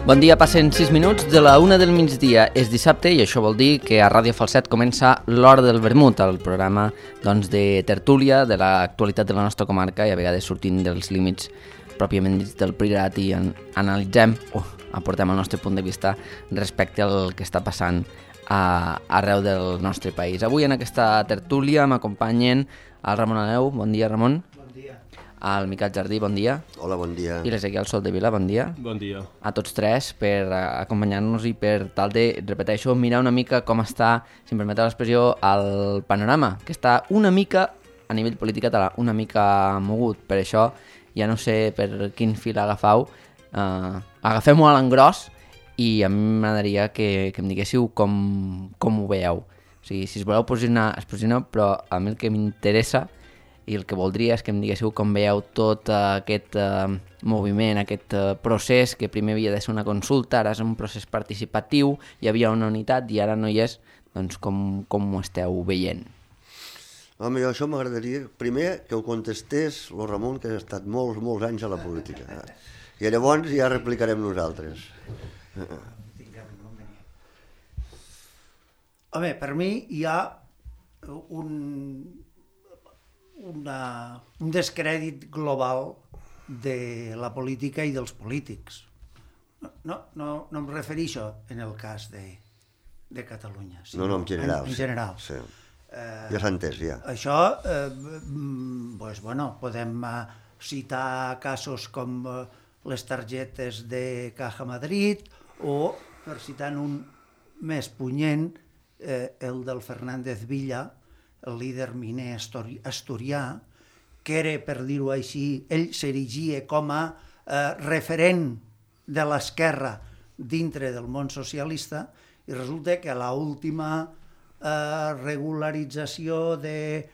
Bon dia, passen 6 minuts de la 1 del migdia. És dissabte i això vol dir que a Ràdio Falset comença l'Hora del Vermut, el programa de tertúlia de l'actualitat de la nostra comarca i a vegades sortint dels límits pròpiament dits del Priorat i analitzem o aportem el nostre punt de vista respecte al que està passant arreu del nostre país. Avui en aquesta tertúlia m'acompanyen el Ramon Aneu. Bon dia, Ramon. Bon dia. El Miquel Jardí, bon dia. Hola, bon dia. I l'Ezequiel Soldevila, bon dia. Bon dia. A tots tres per acompanyar-nos i per tal de, repeteixo, mirar una mica com està, si em permeteu l'expressió, el panorama, que està una mica, a nivell polític català, una mica mogut. Per això ja no sé per quin fil agafau. Agafem-ho a l'engròs i a mi m'agradaria que em diguéssiu com ho veieu. O sigui, si es voleu posicionar, es posicioneu, però a mi el que m'interessa i el que voldria és que em diguéssiu com veieu tot aquest moviment, aquest procés que primer havia de ser una consulta, ara és un procés participatiu, hi havia una unitat i ara no hi és, doncs com ho esteu veient? Home, jo això m'agradaria, primer, que ho contestés el Ramon, que ha estat molts anys a la política. I llavors ja replicarem nosaltres. Home, per mi hi ha un descrèdit global de la política i dels polítics. No em refereixo en el cas de Catalunya. No, en general. En general. Sí. Ja s'ha entès, ja. Això, podem citar casos com les targetes de Caja Madrid o, per citar un més punyent, el del Fernández Villa, el líder miner asturià, que era, per dir-ho així, ell s'erigia com a referent de l'esquerra dintre del món socialista i resulta que a l'última regularització de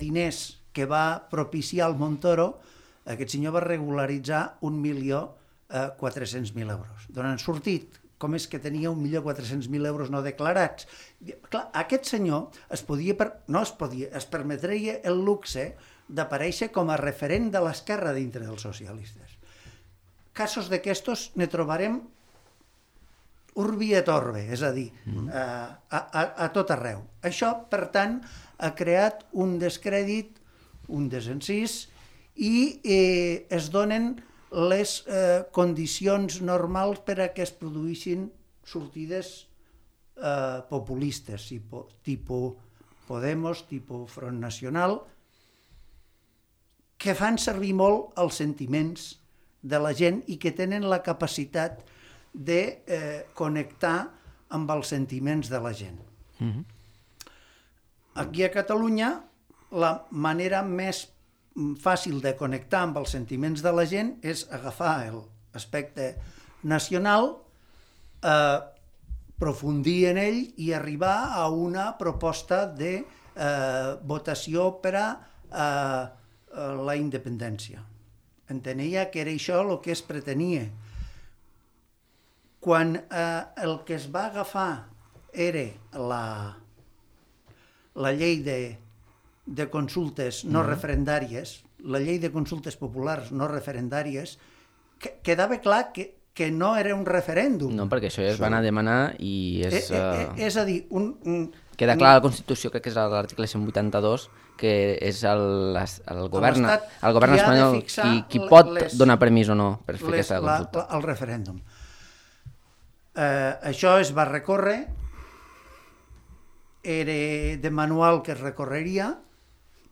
diners que va propiciar el Montoro, aquest senyor va regularitzar 1.400.000 euros. D'on han sortit? Com és que tenia 1.400.000 euros no declarats? Clar, aquest senyor es permetria el luxe d'aparèixer com a referent de l'esquerra dintre dels socialistes. Casos d'aquestos ne trobarem urbi et orbe, és a dir, a tot arreu. Això, per tant, ha creat un descrèdit, un desencís, i es donen les condicions normals per a que es produïssin sortides populistes, tipus Podemos, tipus Front Nacional, que fan servir molt els sentiments de la gent i que tenen la capacitat de connectar amb els sentiments de la gent. Aquí a Catalunya, la manera més fàcil de connectar amb els sentiments de la gent és agafar l'aspecte nacional, profundir en ell i arribar a una proposta de votació per a la independència. Entenia que era això el que es pretenia. Quan el que es va agafar era la llei de consultes no referendàries, la llei de consultes populars no referendàries, quedava clar que no era un referèndum. No, perquè això ja es va anar a demanar i és... És a dir, queda clar a la Constitució, crec que és l'article 182, que és el govern espanyol qui pot donar permís o no per fer aquesta consulta. El referèndum. Això es va recórrer, era de manual que es recorreria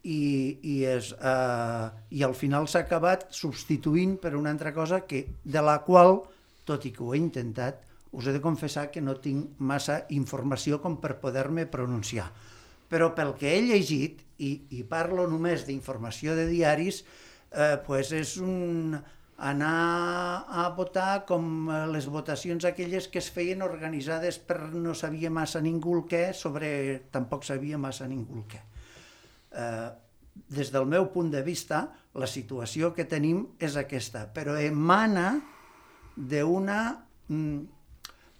i al final s'ha acabat substituint per una altra cosa de la qual, tot i que ho he intentat, us he de confessar que no tinc massa informació com per poder-me pronunciar. Però pel que he llegit, i parlo només d'informació de diaris, és anar a votar com les votacions aquelles que es feien organitzades per no sabia massa ningú el què, sobre tampoc sabia massa ningú el què. Des del meu punt de vista, la situació que tenim és aquesta, però emana d'una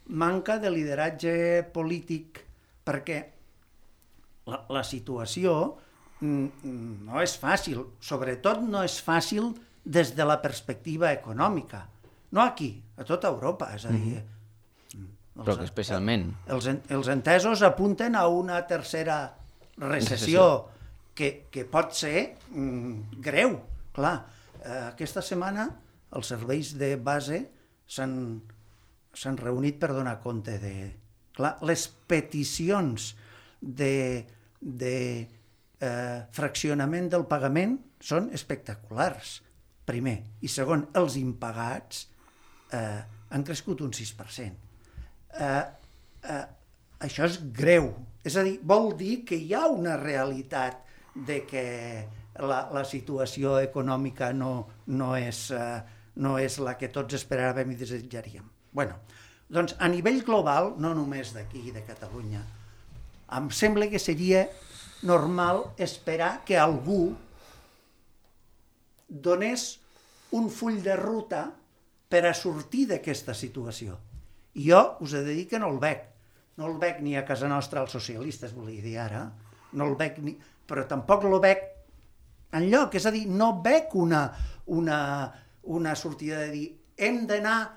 manca de lideratge polític, perquè la situació no és fàcil, sobretot no és fàcil des de la perspectiva econòmica. No aquí, a tota Europa, és a dir... Però que especialment... Els entesos apunten a una tercera recessió que pot ser greu. Clar, aquesta setmana els serveis de base s'han reunit per donar compte de... Clar, les peticions de fraccionament del pagament són espectaculars, primer. I segon, els impagats han crescut un 6%. Això és greu. És a dir, vol dir que hi ha una realitat de que la situació econòmica no és la que tots esperàvem i desitjaríem. Bueno, doncs a nivell global, no només d'aquí, de Catalunya, em sembla que seria normal esperar que algú donés un full de ruta per a sortir d'aquesta situació. I jo us he de dir que no el veig. No el veig ni a casa nostra als socialistes, volia dir ara, no el veig ni... però tampoc el veig enlloc, és a dir, no veig una sortida de dir hem d'anar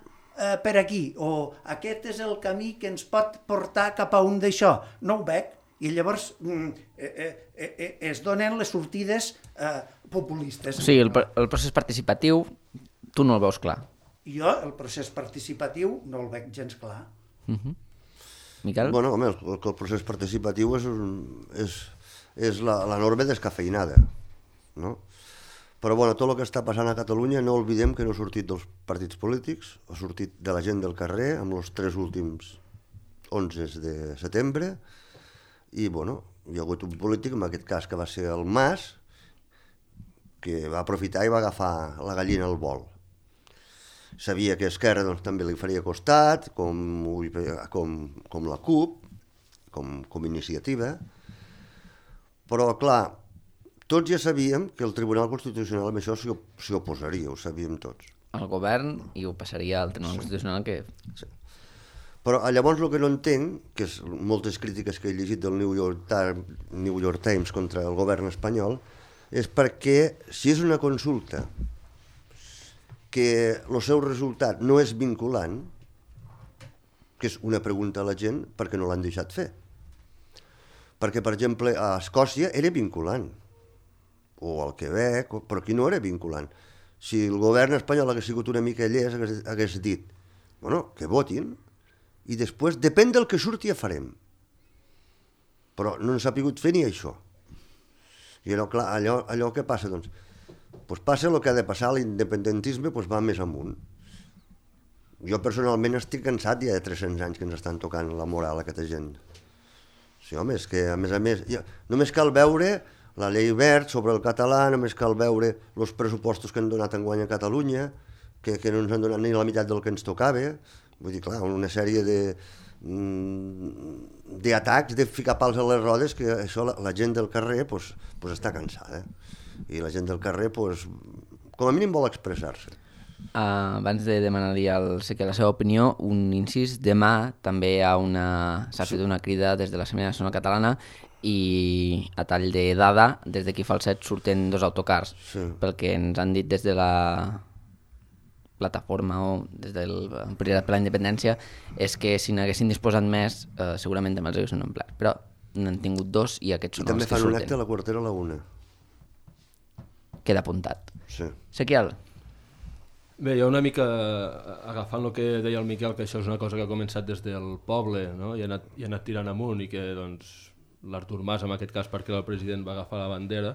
per aquí, o aquest és el camí que ens pot portar cap a un d'això. No ho veig. I llavors es donen les sortides populistes. O sigui, el procés participatiu tu no el veus clar. Jo el procés participatiu no el veig gens clar. Miquel? Bueno, home, el procés participatiu és la norma descafeinada, no? Però bueno, tot el que està passant a Catalunya no oblidem que no ha sortit dels partits polítics, ha sortit de la gent del carrer amb els 3 últims 11 de setembre i bueno, hi ha hagut un polític, en aquest cas que va ser el Mas, que va aprofitar i va agafar la gallina al vol. Sabia que Esquerra doncs, també li faria costat, com la CUP, com iniciativa, però clar, tots ja sabíem que el Tribunal Constitucional amb això s'hi oposaria, ho sabíem tots. El govern i ho passaria al Tribunal Constitucional que... Sí. Però llavors el que no entenc, que és moltes crítiques que he llegit del New York Times contra el govern espanyol, és perquè si és una consulta que el seu resultat no és vinculant, que és una pregunta a la gent, perquè no l'han deixat fer. Perquè, per exemple, a Escòcia era vinculant, o al Quebec, però aquí no era vinculant. Si el govern espanyol hagués sigut una mica llest, hagués dit, bueno, que votin, i després, depèn del que surti, ja farem. Però no ens ha pogut fer ni això. I clar, allò que passa, doncs, passa el que ha de passar, l'independentisme va més amunt. Jo personalment estic cansat ja de 300 anys que ens estan tocant la moral a aquesta gent. Sí, home, és que a més, només cal veure la llei verd sobre el català, només cal veure els pressupostos que han donat enguany a Catalunya, que no ens han donat ni la meitat del que ens tocava. Vull dir, clar, una sèrie d'atacs, de ficar pals a les rodes, que això la gent del carrer està cansada. I la gent del carrer, com a mínim, vol expressar-se. Abans de demanar-li al Seque la seva opinió, un incís, demà també s'ha fet una crida des de l'Assemblea Nacional Catalana i a tall de dada, des d'aquí Falset surten 2 autocars. Sí. Pel que ens han dit des de la plataforma o des del Prioritat per la Independència, és que si n'haguessin disposat més, segurament també els haguessin omplert. Però n'han tingut 2 i aquests són els que surten. I també fan un acte a la Quartera a la 1. Queda apuntat. Sí. Sequiel? Bé, jo una mica agafant el que deia el Miquel, que això és una cosa que ha començat des del poble, no? I ha anat tirant amunt, i que doncs, l'Artur Mas, en aquest cas perquè el president va agafar la bandera,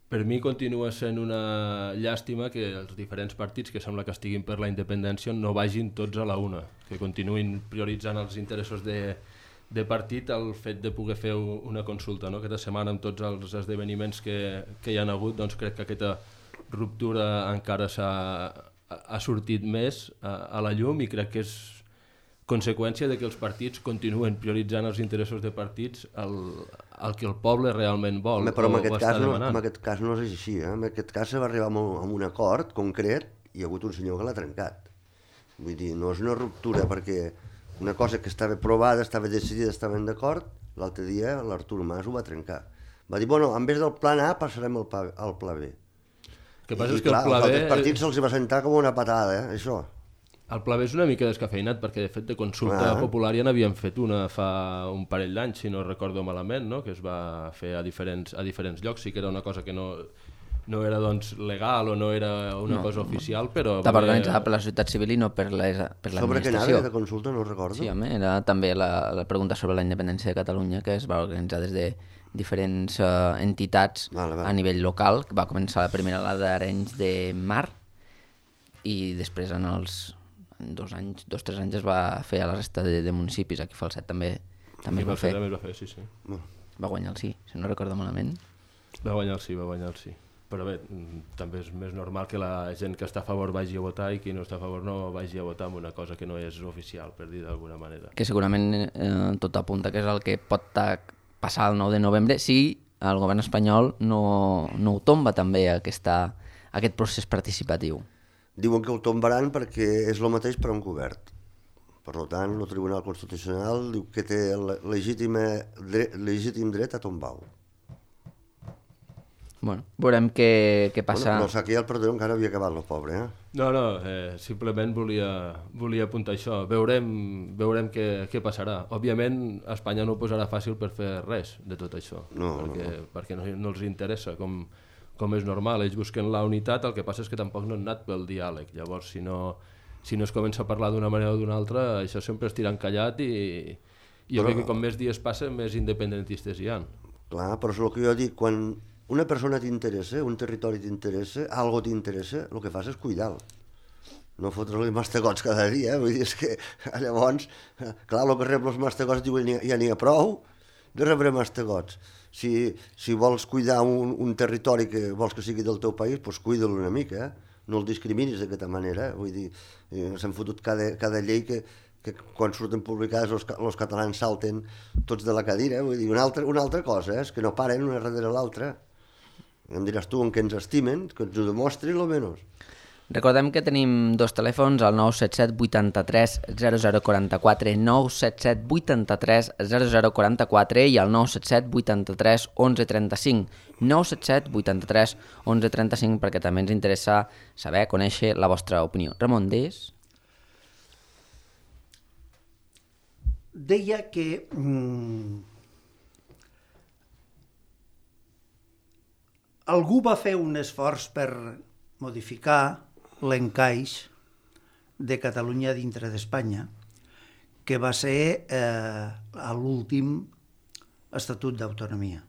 per mi continua sent una llàstima que els diferents partits que sembla que estiguin per la independència no vagin tots a la una, que continuïn prioritzant els interessos de partit el fet de poder fer una consulta, no? Aquesta setmana amb tots els esdeveniments que hi ha hagut, doncs crec que aquesta ruptura encara ha sortit més a la llum, i crec que és conseqüència de que els partits continuen prioritzant els interessos de partits el que el poble realment vol. Però en aquest cas no és així. En aquest cas se va arribar a un acord concret i hi ha hagut un senyor que l'ha trencat. Vull dir, no és una ruptura, perquè una cosa que estava provada, estava decidida, estaven d'acord, l'altre dia l'Artur Mas ho va trencar. Va dir, bueno, en vez del plan A passarem al pla B. El que passa és que clar, el Pla als B... altres partits se'ls va sentar com una patada, això. El Pla B és una mica descafeinat, perquè de fet de consulta popular ja n'havien fet una fa un parell d'anys, si no recordo malament, no? Que es va fer a diferents llocs. Sí que era una cosa que no era doncs, legal o no era una cosa oficial, però... Estava organitzada per la societat civil i no per l'administració. Sobre què anava de consulta, no recordo. Sí, home, era també la pregunta sobre la independència de Catalunya, que es va organitzar des de diferents entitats a nivell local. Va començar la primera a la d'Arenys de Mar i després en els 2 o 3 anys es va fer a la resta de municipis. Aquí a Falset també es va fer. També es va fer, sí. Va guanyar el sí, si no recordo malament. Va guanyar el sí. Però bé, també és més normal que la gent que està a favor vagi a votar i qui no està a favor no vagi a votar amb una cosa que no és oficial, per dir d'alguna manera. Que segurament tot apunta que és el que pot passar el 9 de novembre si el govern espanyol no ho tomba també aquest procés participatiu. Diuen que ho tombaran perquè és el mateix per a un govern. Per tant, el Tribunal Constitucional diu que té legítim dret a tombar-ho. Bueno, veurem què passa. Bueno, però aquí el perdó encara havia acabat el pobre, No, simplement volia apuntar això. Veurem què passarà. Òbviament, Espanya no ho posarà fàcil per fer res de tot això, perquè no els interessa, com és normal. Ells busquen la unitat, el que passa és que tampoc no han anat pel diàleg. Llavors, si no es comença a parlar d'una manera o d'una altra, això sempre es tira encallat i jo crec que com més dies passen, més independentistes hi ha. Clar, però és el que jo dic, quan una persona t'interessa, un territori t'interessa, algo t'interessa, el que fas és cuidar-lo. No fotre-li mastegots cada dia, vull dir, és que llavors, clar, el que rep els mastegots diuen ja n'hi ha prou de rebre mastegots. Si vols cuidar un territori que vols que sigui del teu país, doncs cuida-lo una mica, no el discriminis d'aquesta manera, vull dir, s'han fotut cada llei que quan surten publicades els catalans salten tots de la cadira, vull dir, una altra cosa, és que no paren una darrere l'altra. Em diràs tu en què ens estimen, que ens ho demostri, almenys. Recordem que tenim 2 telèfons, el 977 83 0044, 977 83 0044 i el 977 83 1135. 977 83 1135 perquè també ens interessa saber, conèixer la vostra opinió. Ramon, deies? Deia que algú va fer un esforç per modificar l'encaix de Catalunya dintre d'Espanya, que va ser l'últim Estatut d'Autonomia.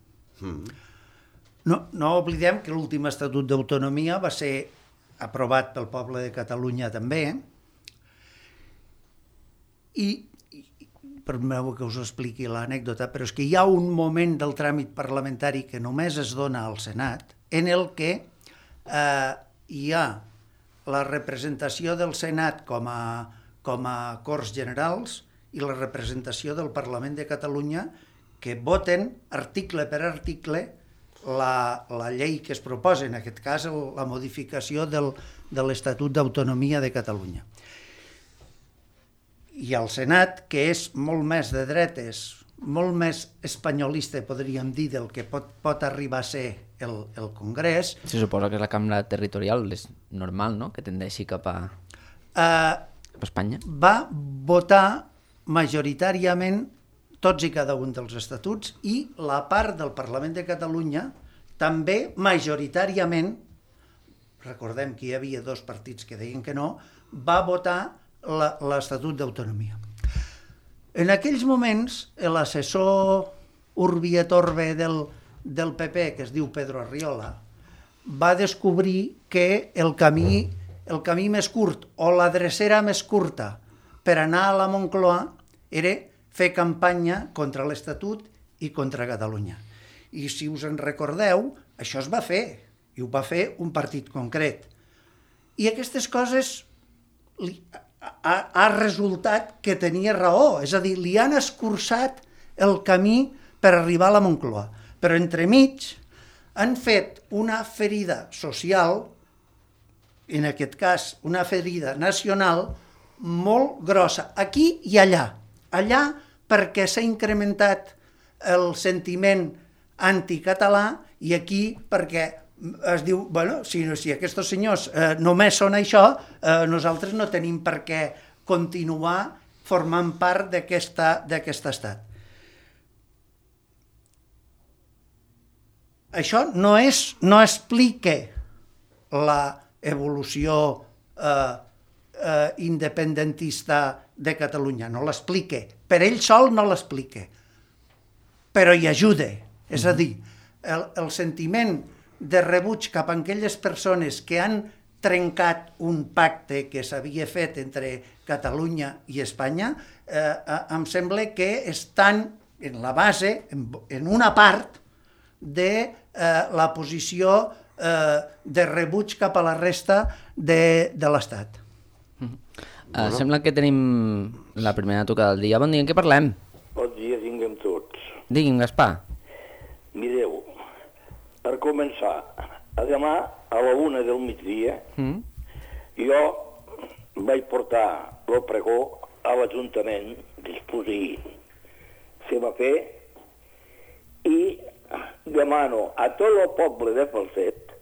No oblidem que l'últim Estatut d'Autonomia va ser aprovat pel poble de Catalunya també, i permeteu que us expliqui l'anècdota, però és que hi ha un moment del tràmit parlamentari que només es dona al Senat en el que hi ha la representació del Senat com a Corts Generals i la representació del Parlament de Catalunya que voten article per article la llei que es proposa, en aquest cas la modificació de l'Estatut d'Autonomia de Catalunya. I el Senat, que és molt més de dretes, molt més espanyolista, podríem dir, del que pot arribar a ser el Congrés... Se suposa que és la cambra territorial, és normal, no?, que tendeixi cap a Espanya. Va votar majoritàriament tots i cada un dels estatuts i la part del Parlament de Catalunya també majoritàriament, recordem que hi havia 2 partits que deien que no, va votar l'Estatut d'Autonomia. En aquells moments, l'assessor Urbi et Orbe del PP, que es diu Pedro Arriola, va descobrir que el camí més curt o la drecera més curta per anar a la Moncloa era fer campanya contra l'Estatut i contra Catalunya. I si us en recordeu, això es va fer, i ho va fer un partit concret. I aquestes coses ha resultat que tenia raó, és a dir, li han escurçat el camí per arribar a la Moncloa. Però entremig han fet una ferida social, en aquest cas una ferida nacional, molt grossa, aquí i allà. Allà perquè s'ha incrementat el sentiment anticatalà i aquí perquè es diu, bueno, si aquests senyors només són això, nosaltres no tenim per què continuar formant part d'aquest estat. Això no explica l'evolució independentista de Catalunya, no l'explica. Per ell sol no l'explica, però hi ajuda. És a dir, el sentiment de rebuig cap a aquelles persones que han trencat un pacte que s'havia fet entre Catalunya i Espanya, em sembla que estan en la base, en una part, de la posició de rebuig cap a la resta de l'Estat. Sembla que tenim la primera tocada del dia. Bon dia, en què parlem? Bon dia, tinguem tots. Digui'm, Gaspar. Mireu, per començar, demà a la 1 del migdia jo vaig portar el pregó a l'Ajuntament que es posi se va fer i demano a tot el poble de Falset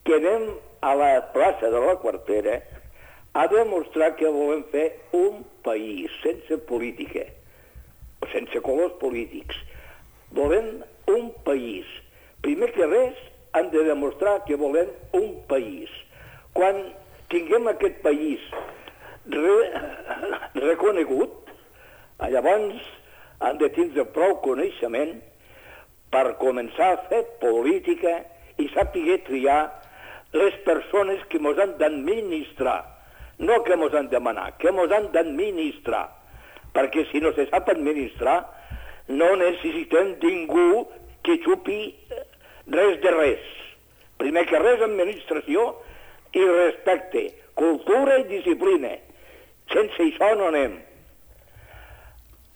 que anem a la plaça de la Quartera a demostrar que volem fer un país sense política, sense colors polítics. Volem un país. Primer que res, han de demostrar que volem un país. Quan tinguem aquest país reconegut, llavors han de tindre prou coneixement per començar a fer política i saber triar les persones que ens han d'administrar. No que ens han de manar, que ens han d'administrar. Perquè si no se sap administrar, no necessitem ningú que xupi res de res. Primer que res, administració i respecte, cultura i disciplina. Sense això no anem.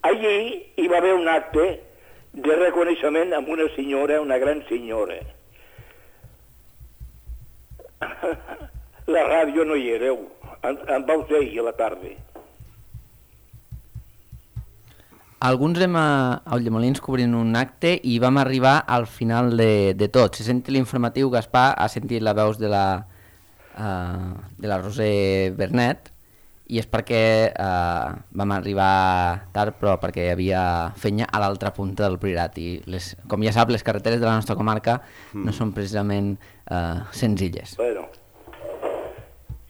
Allí hi va haver un acte de reconeixement amb una senyora, una gran senyora. La ràdio no hi éreu, en vau ser ahir a la tarda. Alguns hem a Ulldemolins cobrint un acte i vam arribar al final de tot. Se senti l'informatiu, Gaspar ha sentit les veus de la Roser Bernet i és perquè vam arribar tard, però perquè hi havia fenya a l'altra punta del Priorat i com ja sap, les carreteres de la nostra comarca no són precisament senzilles. Bueno,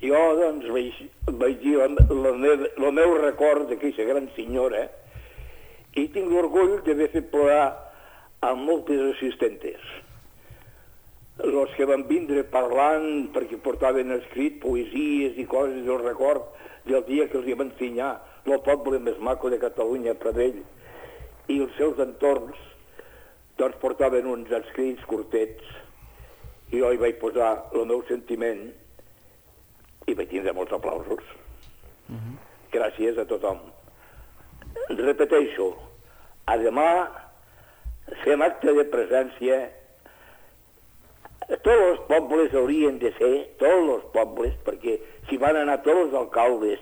jo doncs vaig dir el meu record d'aquesta gran senyora i tinc l'orgull d'haver fet plorar a moltes assistentes. Els que van vindre parlant perquè portaven escrit poesies i coses del record del dia que els hi van ensenyar el poble més maco de Catalunya, Pradell, i els seus entorns, doncs portaven uns escrits curtets i jo hi vaig posar el meu sentiment i vaig tindre molts aplausos. Gràcies a tothom. Repeteixo, a demà fem acte de presència. Tots els pobles haurien de ser, tots els pobles, perquè si van anar tots els alcaldes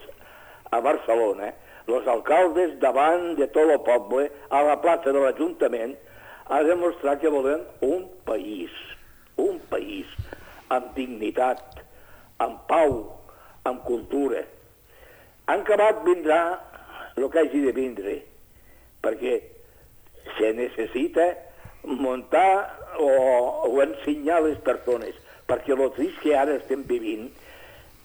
a Barcelona, els alcaldes davant de tot el poble, a la plaça de l'Ajuntament, a demostrar que volem un país amb dignitat, amb pau, amb cultura. En acabat vindrà el que hagi de vindre, perquè se necessita muntar o ensenyar a les persones, perquè el trist que ara estem vivint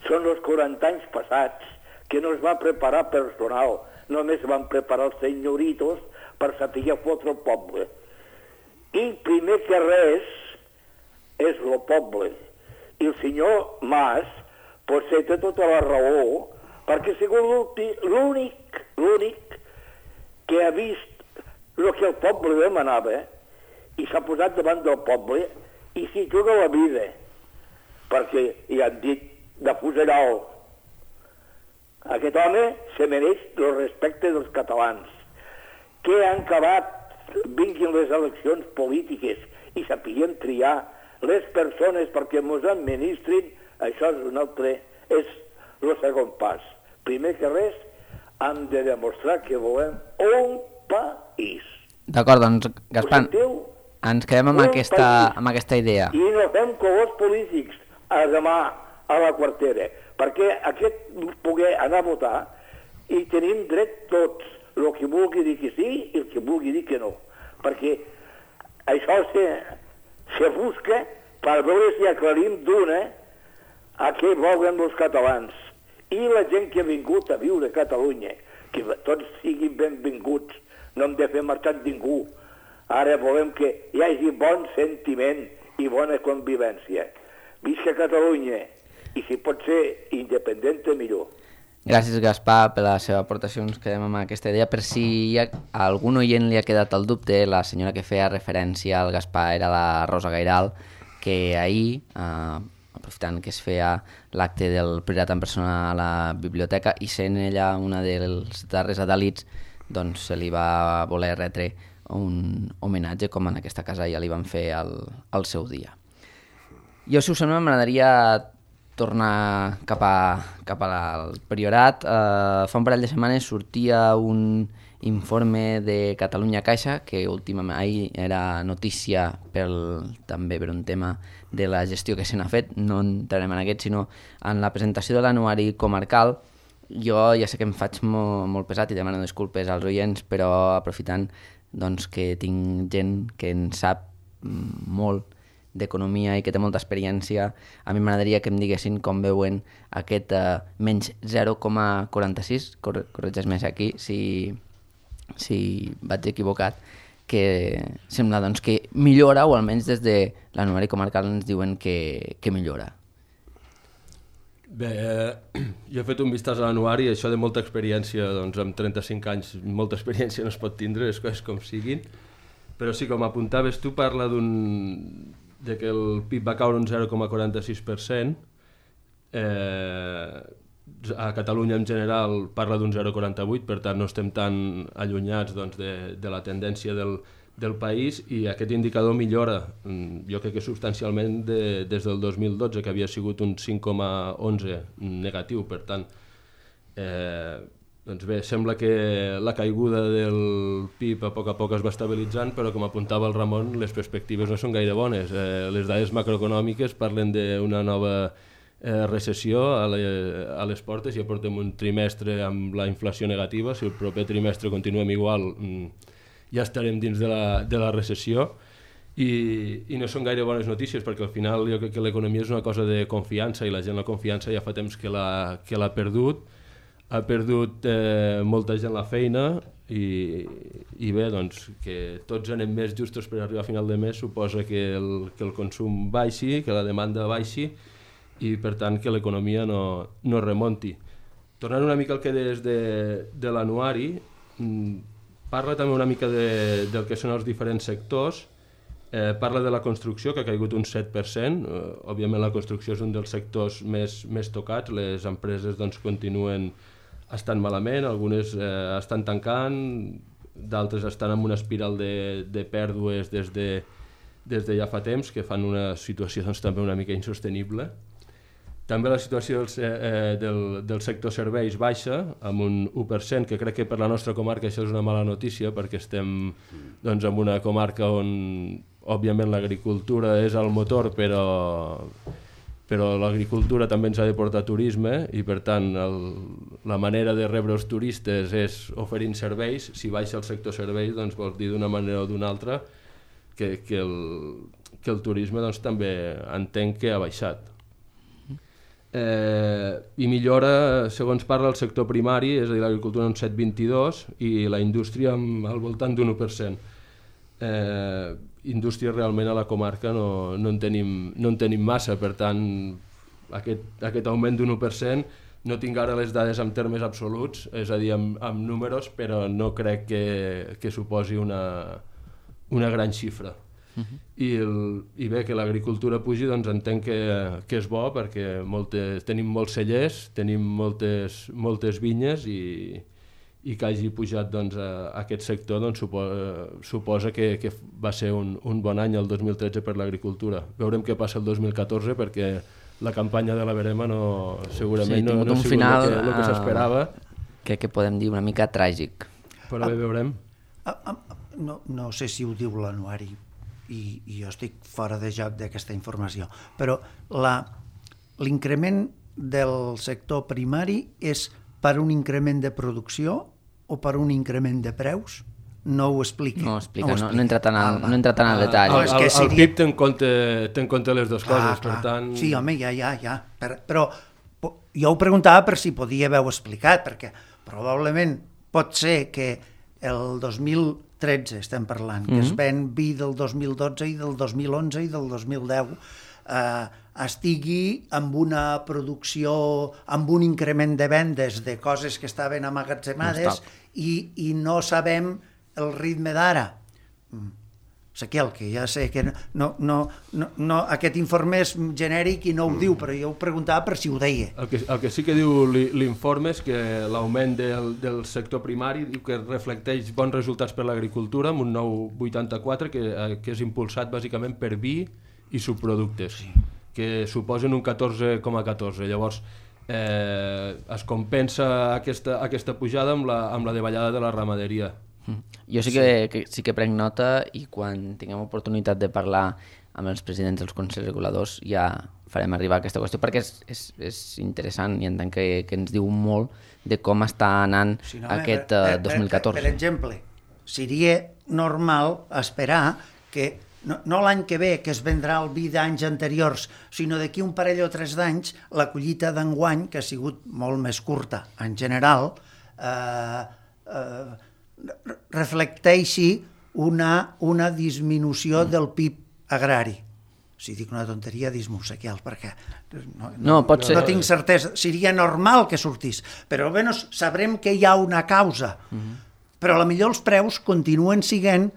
són els 40 anys passats que no es va preparar personal, només van preparar els senyoritos per saber fotre el poble. I primer que res és el poble. I el senyor Mas potser té tota la raó, perquè ha sigut l'únic que ha vist el que el poble demanava i s'ha posat davant del poble i s'hi juga la vida, perquè hi han dit de fuseral. Aquest home se mereix el respecte dels catalans, que han acabat, vinguin les eleccions polítiques i sapiguem triar les persones perquè ens administrin. Això és un altre, és el segon pas. Primer que res, hem de demostrar que volem un país. D'acord, doncs, Gaspar, Ens quedem amb aquesta idea. I no fem colors polítics a demà a la quartera, perquè aquest poder anar a votar i tenim dret tots, el que vulgui dir que sí i el que vulgui dir que no, perquè això se busca per veure si aclarim d'una a què volen els catalans i la gent que ha vingut a viure a Catalunya, que tots siguin benvinguts, no hem de fer marxar ningú. Ara volem que hi hagi bon sentiment i bona convivència. Visca Catalunya, i si pot ser independent, millor. Gràcies, Gaspar, per la seva aportació. Ens quedem amb aquesta idea. Per si a algun oient li ha quedat el dubte, la senyora que feia referència al Gaspar era la Rosa Gairal, que ahir, aprofitant que es feia l'acte del Priorat en persona a la biblioteca i sent ella una dels darrers adalits, doncs se li va voler retre un homenatge, com en aquesta casa ja li van fer al seu dia. Jo, si us sembla, m'agradaria tornar cap al Priorat. Fa un parell de setmanes sortia un informe de Catalunya Caixa, que últimament ahir era notícia també per un tema de la gestió que se n'ha fet. No entrarem en aquest, sinó en la presentació de l'anuari comarcal. Jo ja sé que em faig molt pesat i demano disculpes als oients, però aprofitant doncs, que tinc gent que en sap molt d'economia i que té molta experiència, a mi m'agradaria que em diguessin com veuen aquest menys 0,46, corregeix-me aquí si vaig equivocat, que sembla doncs, que millora, o almenys des de l'anuari comarcal ens diuen que millora. Bé, jo he fet un vistàs a l'anuari, això de molta experiència, doncs amb 35 anys molta experiència no es pot tindre, les coses com siguin, però sí, com apuntaves tu, parla de que el PIB va caure un 0,46%, a Catalunya en general parla d'un 0,48%, per tant no estem tan allunyats doncs, de la tendència del país, i aquest indicador millora, jo crec que substancialment des del 2012, que havia sigut un 5,11 negatiu. Per tant, doncs bé, sembla que la caiguda del PIB a poc es va estabilitzant, però com apuntava el Ramon, les perspectives no són gaire bones. Les dades macroeconòmiques parlen d'una nova recessió a les portes. Ja portem un trimestre amb la inflació negativa. Si el proper trimestre continuem igual, ja estarem dins de la recessió, i no són gaire bones notícies, perquè al final jo crec que l'economia és una cosa de confiança, i la gent la confiança ja fa temps que l'ha perdut. Ha perdut molta gent la feina, i bé, doncs, que tots anem més justos per arribar a final de mes suposa que el consum baixi, que la demanda baixi, i per tant que l'economia no remonti. Tornant una mica al que deies de l'anuari, parla també una mica del que són els diferents sectors. Parla de la construcció, que ha caigut un 7%. Òbviament la construcció és un dels sectors més tocats. Les empreses doncs, continuen estant malament, algunes estan tancant, d'altres estan en una espiral de pèrdues des de ja fa temps, que fan una situació doncs, també una mica insostenible. També la situació del sector serveis baixa, amb un 1%, que crec que per la nostra comarca això és una mala notícia, perquè estem doncs, en una comarca on, òbviament, l'agricultura és el motor, però l'agricultura també ens ha de portar turisme, i per tant la manera de rebre els turistes és oferint serveis. Si baixa el sector serveis, doncs vol dir d'una manera o d'una altra que el turisme doncs, també entenc que ha baixat. I millora, segons parla, el sector primari, és a dir, l'agricultura un 7,22 i la indústria al voltant d'un 1%. Indústria realment a la comarca no en tenim massa, per tant aquest augment d'un 1%, no tinc ara les dades en termes absoluts, és a dir, amb números, però no crec que suposi una gran xifra. I bé, que l'agricultura pugi, doncs entenc que és bo, perquè tenim molts cellers, tenim moltes vinyes, i que hagi pujat doncs, aquest sector doncs, suposa que va ser un bon any el 2013 per l'agricultura. Veurem què passa el 2014, perquè la campanya de la verema segurament no ha sigut el que s'esperava. Crec que podem dir una mica tràgic. Però bé, veurem. No sé si ho diu l'anuari, i jo estic fora de joc d'aquesta informació, però l'increment del sector primari és per un increment de producció o per un increment de preus? No ho explica. No entra tant al detall. El PIB té en compte les dues coses, per tant... Sí, home, ja. Però jo ho preguntava per si podia haver-ho explicat, perquè probablement pot ser que el 2013, estem parlant, que es ven vi del 2012 i del 2011 i del 2010, estigui amb una producció, amb un increment de vendes de coses que estaven amagatzemades i no sabem el ritme d'ara. Sequiel, que ja sé que no, aquest informe és genèric i no ho diu, però jo ho preguntava per si ho deia. El que sí que diu l'informe és que l'augment del sector primari diu que reflecteix bons resultats per l'agricultura amb un 9,84 que és impulsat bàsicament per vi i subproductes, que suposen un 14,14. Llavors, es compensa aquesta pujada amb la davallada de la ramaderia. Jo sí que prenc nota i quan tinguem oportunitat de parlar amb els presidents dels consells reguladors ja farem arribar aquesta qüestió perquè és interessant i entenc que ens diu molt de com està anant aquest 2014. Per exemple, seria normal esperar que no l'any que ve, que es vendrà el vi d'anys anteriors, sinó d'aquí un parell o 3 d'anys, la collita d'enguany, que ha sigut molt més curta en general, reflecteixi una disminució del PIB agrari. Si dic una tonteria, dis-m'ho, Sequiel, perquè no tinc certesa. Seria normal que sortís, però almenys sabrem que hi ha una causa. Però potser els preus continuen sent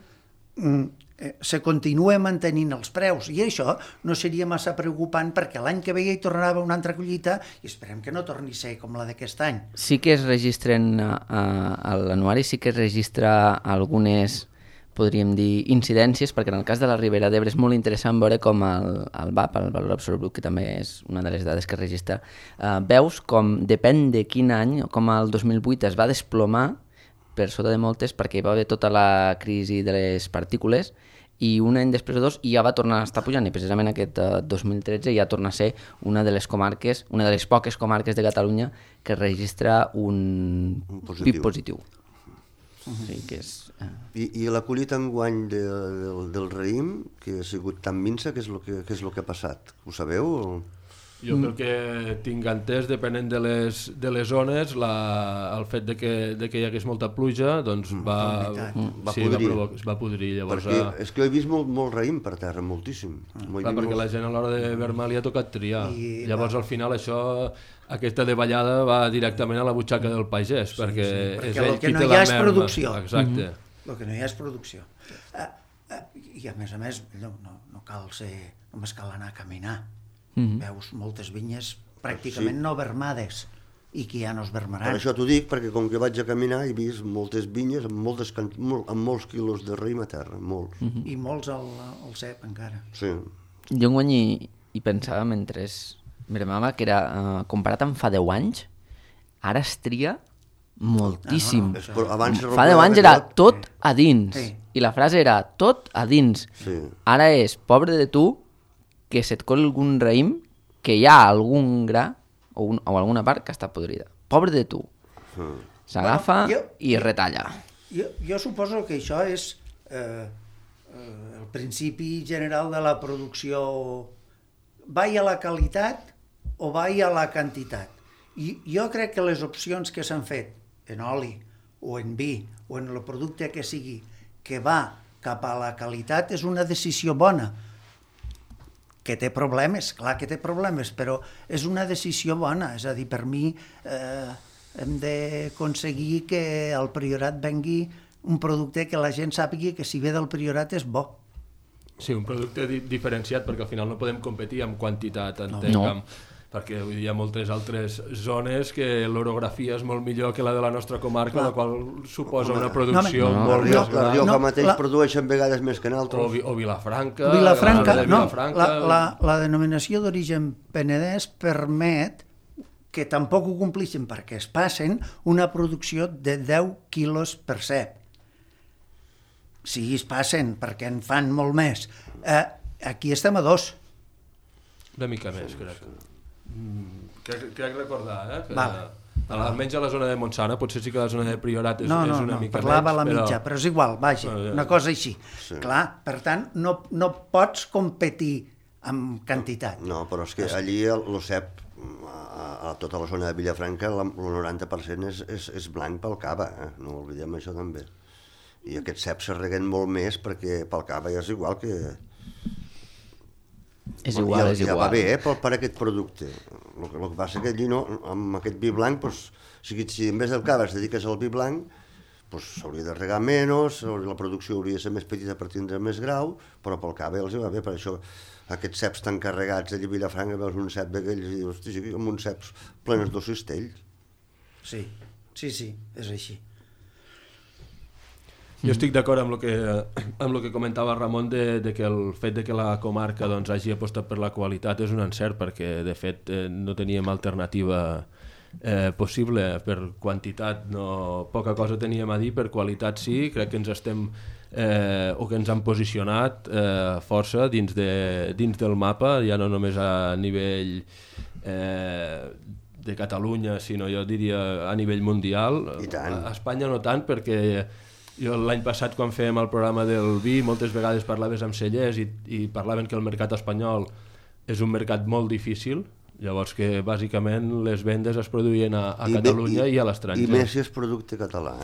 se continuen mantenint els preus i això no seria massa preocupant perquè l'any que ve hi tornarà una altra collita i esperem que no torni a ser com la d'aquest any. Sí que es registren a l'anuari, sí que es registra algunes, podríem dir, incidències, perquè en el cas de la Ribera d'Ebre és molt interessant veure com el VAP, el valor absolut brut, que també és una de les dades que es registra, veus com depèn de quin any, com el 2008 es va desplomar per sota de moltes perquè hi va haver tota la crisi de les partícules i un any després o 2 ja va tornar a estar pujant i precisament aquest 2013 ja torna a ser una de les comarques, una de les poques comarques de Catalunya que registra un PIB positiu. Sí, que és... I la collita enguany del raïm, que ha sigut tan minsa, què és el que ha passat? Ho sabeu? Jo pel que tinc entès, depenent de les zones, el fet de que hi hagués molta pluja doncs va podrir. Llavors, perquè és que he vist molt raïm per terra, moltíssim. Perquè la gent a l'hora de vermar li ha tocat triar. Llavors al final aquesta davallada va directament a la butxaca del pagès, perquè és ell qui té la merma. El que no hi ha és producció. Exacte. El que no hi ha és producció. I a més, no cal ser, només cal anar a caminar. Veus moltes vinyes pràcticament no vermades i que ja no es vermaran. Per això t'ho dic, perquè com que vaig a caminar he vist moltes vinyes amb molts quilos de raïm a terra, molts. I molts al cep encara. Sí. Jo enguany hi pensava mentre mirava que era, comparat amb fa 10 anys, ara es tria moltíssim. Fa 10 anys era tot a dins i la frase era tot a dins. Ara és pobre de tu que se't col algun raïm que hi ha algun gra o alguna part que està podrida. Pobre de tu. S'agafa i retalla. Jo suposo que això és el principi general de la producció. Vai a la qualitat o vai a la quantitat. I jo crec que les opcions que s'han fet en oli o en vi o en el producte que sigui que va cap a la qualitat és una decisió bona. Que té problemes, clar que té problemes, però és una decisió bona. És a dir, per mi hem d'aconseguir que al Priorat vengui un producte que la gent sàpiga que si ve del Priorat és bo. Sí, un producte diferenciat, perquè al final no podem competir amb quantitat, entenc, perquè hi ha moltes altres zones que l'orografia és molt millor que la de la nostra comarca, la qual suposa una producció molt més gran. La Rioja mateix produeixen vegades més que en altres. O Vilafranca. La denominació d'origen penedès permet que tampoc ho complixen perquè es passen una producció de 10 quilos per cep. Sí, es passen, perquè en fan molt més. Aquí estem a 2. Una mica més, crec. Crec recordar, que Vale. almenys a la zona de Montsana, potser sí que la zona de Priorat és No, una mica parlava a la menys, mitja, però és igual, vaja, una cosa així. Sí. Clar, per tant, no pots competir amb quantitat. No, però és que allí l'OCEP, a tota la zona de Vilafranca, el 90% és blanc pel cava, no oblidem això també. I aquests ceps se reguen molt més perquè pel cava és igual que... És igual, és Ja igual. va bé, per aquest producte. El que passa que allí no, amb aquest vi blanc, doncs, si en vez del cava es dediques al vi blanc, doncs s'hauria de regar menys, la producció hauria de ser més petita per tindre més grau, però pel cava els va bé, per això aquests ceps tan carregats allà a Vilafranca, veus un cep d'aquells i dius, hosti, sí, amb uns ceps plenes de cistells. Sí, és així. Jo estic d'acord amb el que comentava Ramon de que el fet de que la comarca doncs, hagi apostat per la qualitat és un encert, perquè de fet no teníem alternativa possible. Per quantitat poca cosa teníem a dir, per qualitat sí, crec que ens estem o que ens han posicionat força dins del mapa, ja no només a nivell de Catalunya, sinó jo diria a nivell mundial. I tant. A Espanya no tant, perquè jo l'any passat quan fèiem el programa del vi moltes vegades parlaves amb cellers i parlaven que el mercat espanyol és un mercat molt difícil, llavors que bàsicament les vendes es produïen a Catalunya i a l'estranger. I més si és producte català,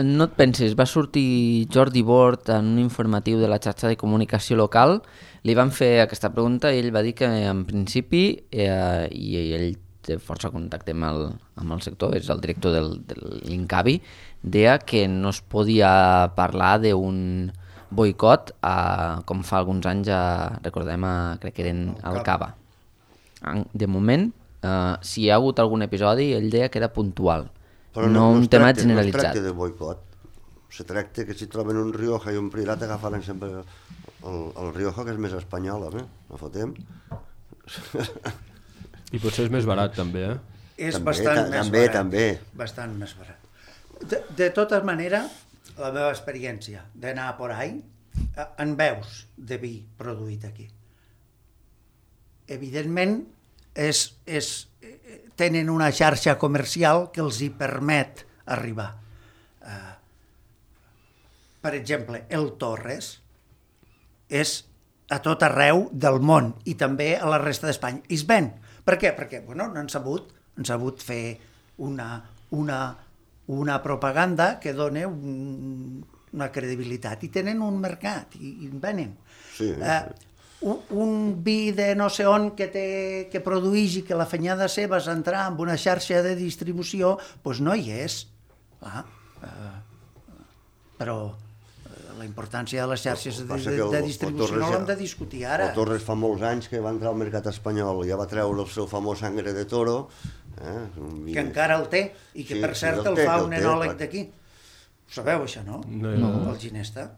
No et pensis, va sortir Jordi Bort en un informatiu de la xarxa de comunicació local, li van fer aquesta pregunta i ell va dir que en principi, i ell té força contacte amb el sector, és el director de l'Incavi, deia que no es podia parlar d'un boicot com fa alguns anys, recordem, crec que eren al Cava. De moment, si hi ha hagut algun episodi, ell deia que era puntual, però no un tema generalitzat. No es tracta de boicot, se tracta que si troben un Rioja i un Priorat agafaran sempre el Rioja, que és més espanyol, no fotem? I potser és més barat també, És També, bastant més també, barat. també. Bastant més barat. De tota manera, la meva experiència d'anar por ahí, en veus de vi produït aquí. Evidentment, tenen una xarxa comercial que els hi permet arribar. Per exemple, el Torres és a tot arreu del món i també a la resta d'Espanya. I es ven. Per què? Perquè han sabut fer una propaganda que dona una credibilitat i tenen un mercat i venen. Sí. Un vi de no sé on que produeix i que la fenyada seva és entrar en una xarxa de distribució, doncs no hi és. Però la importància de les xarxes de distribució no l'hem de discutir ara. El Torres fa molts anys que va entrar al mercat espanyol, ja va treure el seu famós Sangre de Toro. Que encara el té, i que per cert el fa un enòleg d'aquí. Ho sabeu, això, no? No. El Ginesta.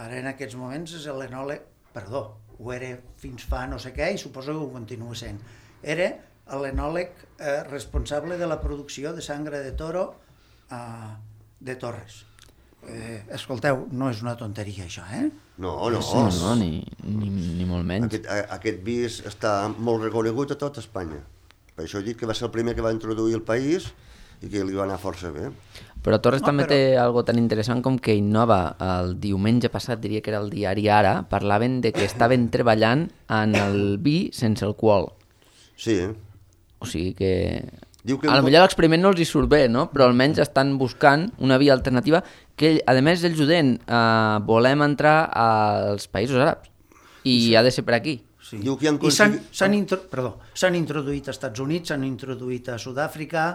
Ara en aquests moments és l'enòleg, perdó, ho era fins fa no sé què i suposo que ho continua sent. Era l'enòleg responsable de la producció de Sangre de Toro de Torres. Escolteu, no és una tonteria això, No, No, ni molt menys. Aquest vi està molt reconegut a tot Espanya. Per això he dit que va ser el primer que va introduir el país i que li va anar força bé. Però Torres també té algo tan interessant com que Innova, el diumenge passat, diria que era el diari Ara, parlaven de que estaven treballant en el vi sense alcohol. Sí. O sigui que... Diu que a lo millor l'experiment no els hi surt bé, no? Però almenys estan buscant una via alternativa que, a més, ells ho deien, volem entrar als països àrabs i ha de ser per aquí. Sí. Diu que han I aconseguit... s'han introduït als Estats Units, s'han introduït a Sud-àfrica,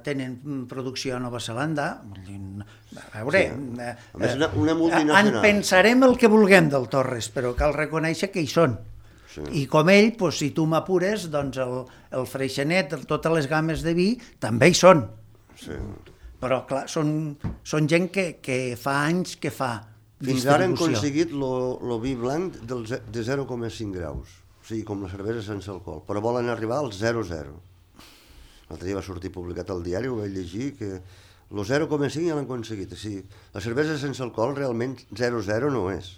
tenen producció a Nova Zelanda. A veure, A més, una multinacional. en pensarem el que vulguem del Torres, però cal reconèixer que hi són. Sí. I com ell, doncs, si tu m'apures, doncs el Freixenet, totes les games de vi, també hi són. Sí. Però, clar, són gent que fa anys que fa Fins ara han distribució. aconseguit el vi blanc de 0,5 graus, o sigui, com la cervesa sense alcohol, però volen arribar al 0,0. L'altre dia va sortir publicat al diari, ho vaig llegir, que El 0,5 ja l'han aconseguit. O sigui, la cervesa sense alcohol realment 0,0 no és.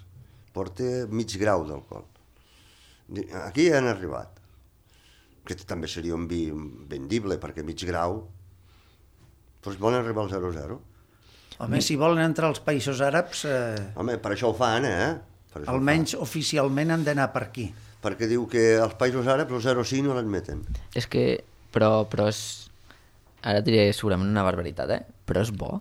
Porta mig grau d'alcohol. Aquí ja han arribat. Que també seria un vi vendible, perquè mig grau... Però volen arribar al 0,0. Home, si volen entrar als països àrabs, Home, per això ho fan, Per això almenys oficialment han d'anar per aquí. Perquè diu que als països àrabs el 0,5 no l'admeten. És que... Però és... Ara diré segurament una barbaritat, però és bo,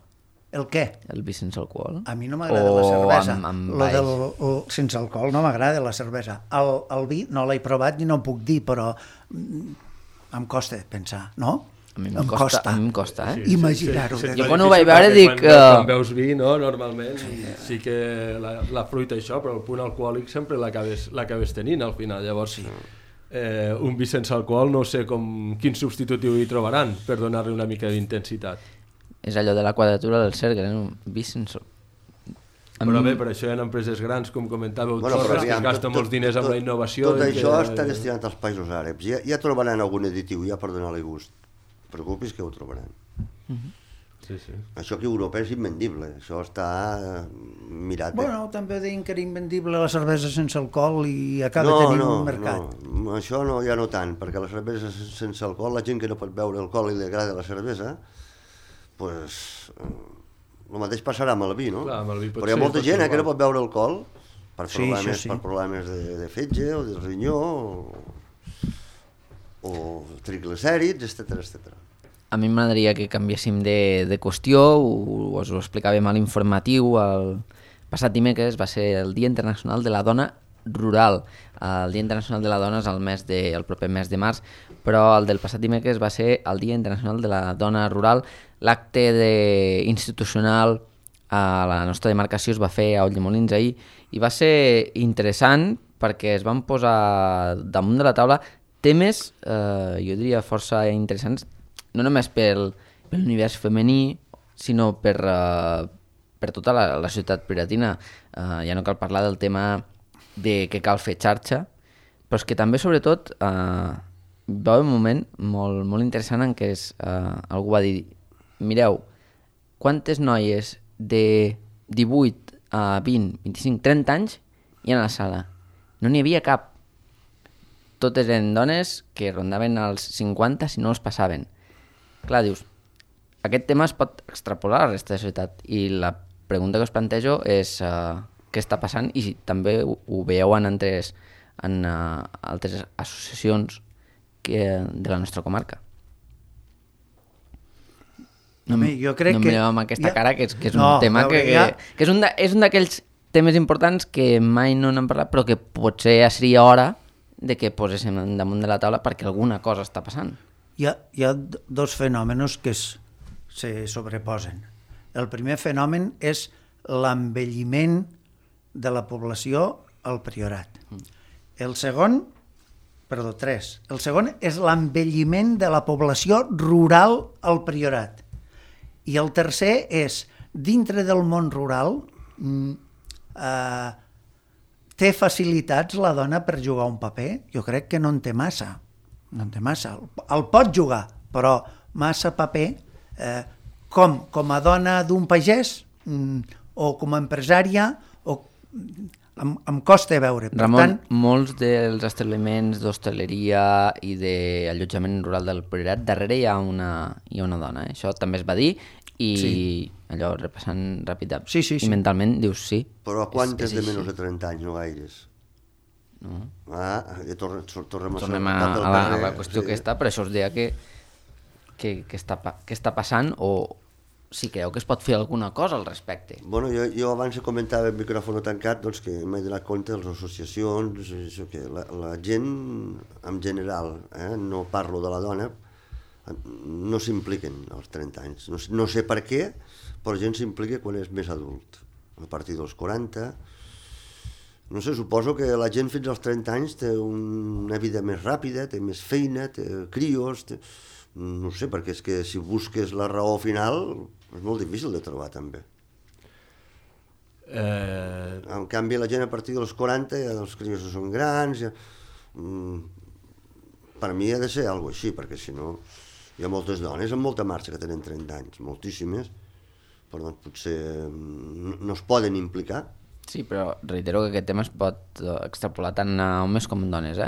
El què? el vi sense alcohol. A mi no m'agrada la cervesa. Amb Sense alcohol no m'agrada la cervesa. El vi no l'he provat ni no em puc dir, però em costa pensar, no? A mi em costa, imaginar-ho. Jo quan ho vaig veure dic... Quan veus vi, no? Normalment sí que la fruita això, però el punt alcohòlic sempre l'acabes tenint al final. Llavors, un vi sense alcohol no sé quin substitutiu hi trobaran per donar-li una mica d'intensitat. És allò de la quadratura del cercle, un vi sense... Però bé, per això hi ha empreses grans, com comentàveu, Torres, que es gasten molts diners amb la innovació. Tot això està destinat als països àrabs. Ja trobaran algun additiu, ja per donar-li gust. No preocupis que ho trobaran. Sí. Això aquí a Europa és invendible, això està mirat. Bueno, també deien que era invendible la cervesa sense alcohol i acaba tenint un mercat. No, això no, ja no tant, perquè la cervesa sense alcohol, la gent que no pot beure alcohol i li agrada la cervesa, pues, el mateix passarà amb el vi, no? Clar, amb el vi però hi ha molta gent que no pot beure alcohol per problemes, sí. per problemes de fetge o de rinyó o triglicèrids, etc. A mi m'agradaria que canviéssim de qüestió, us ho explicàvem a l'informatiu, el passat dimecres va ser el Dia Internacional de la Dona Rural. El Dia Internacional de la Dona és el proper mes de març, però el del passat dimecres va ser el Dia Internacional de la Dona Rural. L'acte institucional a la nostra demarcació es va fer a Ulldemolins ahir i va ser interessant perquè es van posar damunt de la taula temes, jo diria, força interessants, no només per l'univers femení, sinó per tota la societat piratina. Ja no cal parlar del tema de que cal fer xarxa, però és que també, sobretot, va haver un moment molt, molt interessant en què algú va dir: mireu, quantes noies de 18 a 20, 25, 30 anys hi ha a la sala? No n'hi havia cap. Totes eren dones que rondaven els 50 si no els passaven. Clar, dius, aquest tema es pot extrapolar a la resta de la societat i la pregunta que us plantejo és què està passant i si també ho veieu en altres associacions de la nostra comarca. Jo crec no que... em mireu amb aquesta cara, que és un tema que és un d'aquells temes importants que mai no n'hem parlat, però que potser ja seria hora de que poséssim damunt de la taula perquè alguna cosa està passant. Hi ha dos fenòmenos que se sobreposen. El primer fenomen és l'envelliment de la població al Priorat. El segon és l'envelliment de la població rural al Priorat. I el tercer és, dintre del món rural, té facilitats la dona per jugar un paper? Jo crec que no en té massa. El pot jugar, però massa paper, com a dona d'un pagès o com a empresària, em costa veure. Ramon, molts dels establiments d'hostaleria i d'allotjament rural del Priorat, darrere hi ha una dona. Això també es va dir i allò repassant ràpid i mentalment dius sí. Però a quantes de menys de 30 anys, no gaires? No. Tornem a la qüestió que està, per això us deia que està passant o si creu que es pot fer alguna cosa al respecte. Bueno, jo abans comentava el micròfon tancat doncs, que m'he donat compte de les associacions, això, que la gent en general, no parlo de la dona, no s'impliquen als 30 anys. No sé per què, però la gent s'implica quan és més adult, a partir dels 40. No sé, suposo que la gent fins als 30 anys té una vida més ràpida, té més feina, té crios, no sé, perquè és que si busques la raó final és molt difícil de trobar també. En canvi la gent a partir dels 40 ja els crios són grans, per mi ha de ser alguna així, perquè si no... Hi ha moltes dones amb molta marxa que tenen 30 anys, moltíssimes, però doncs potser no es poden implicar. Sí, però reitero que aquest tema es pot extrapolar tant a homes com a dones,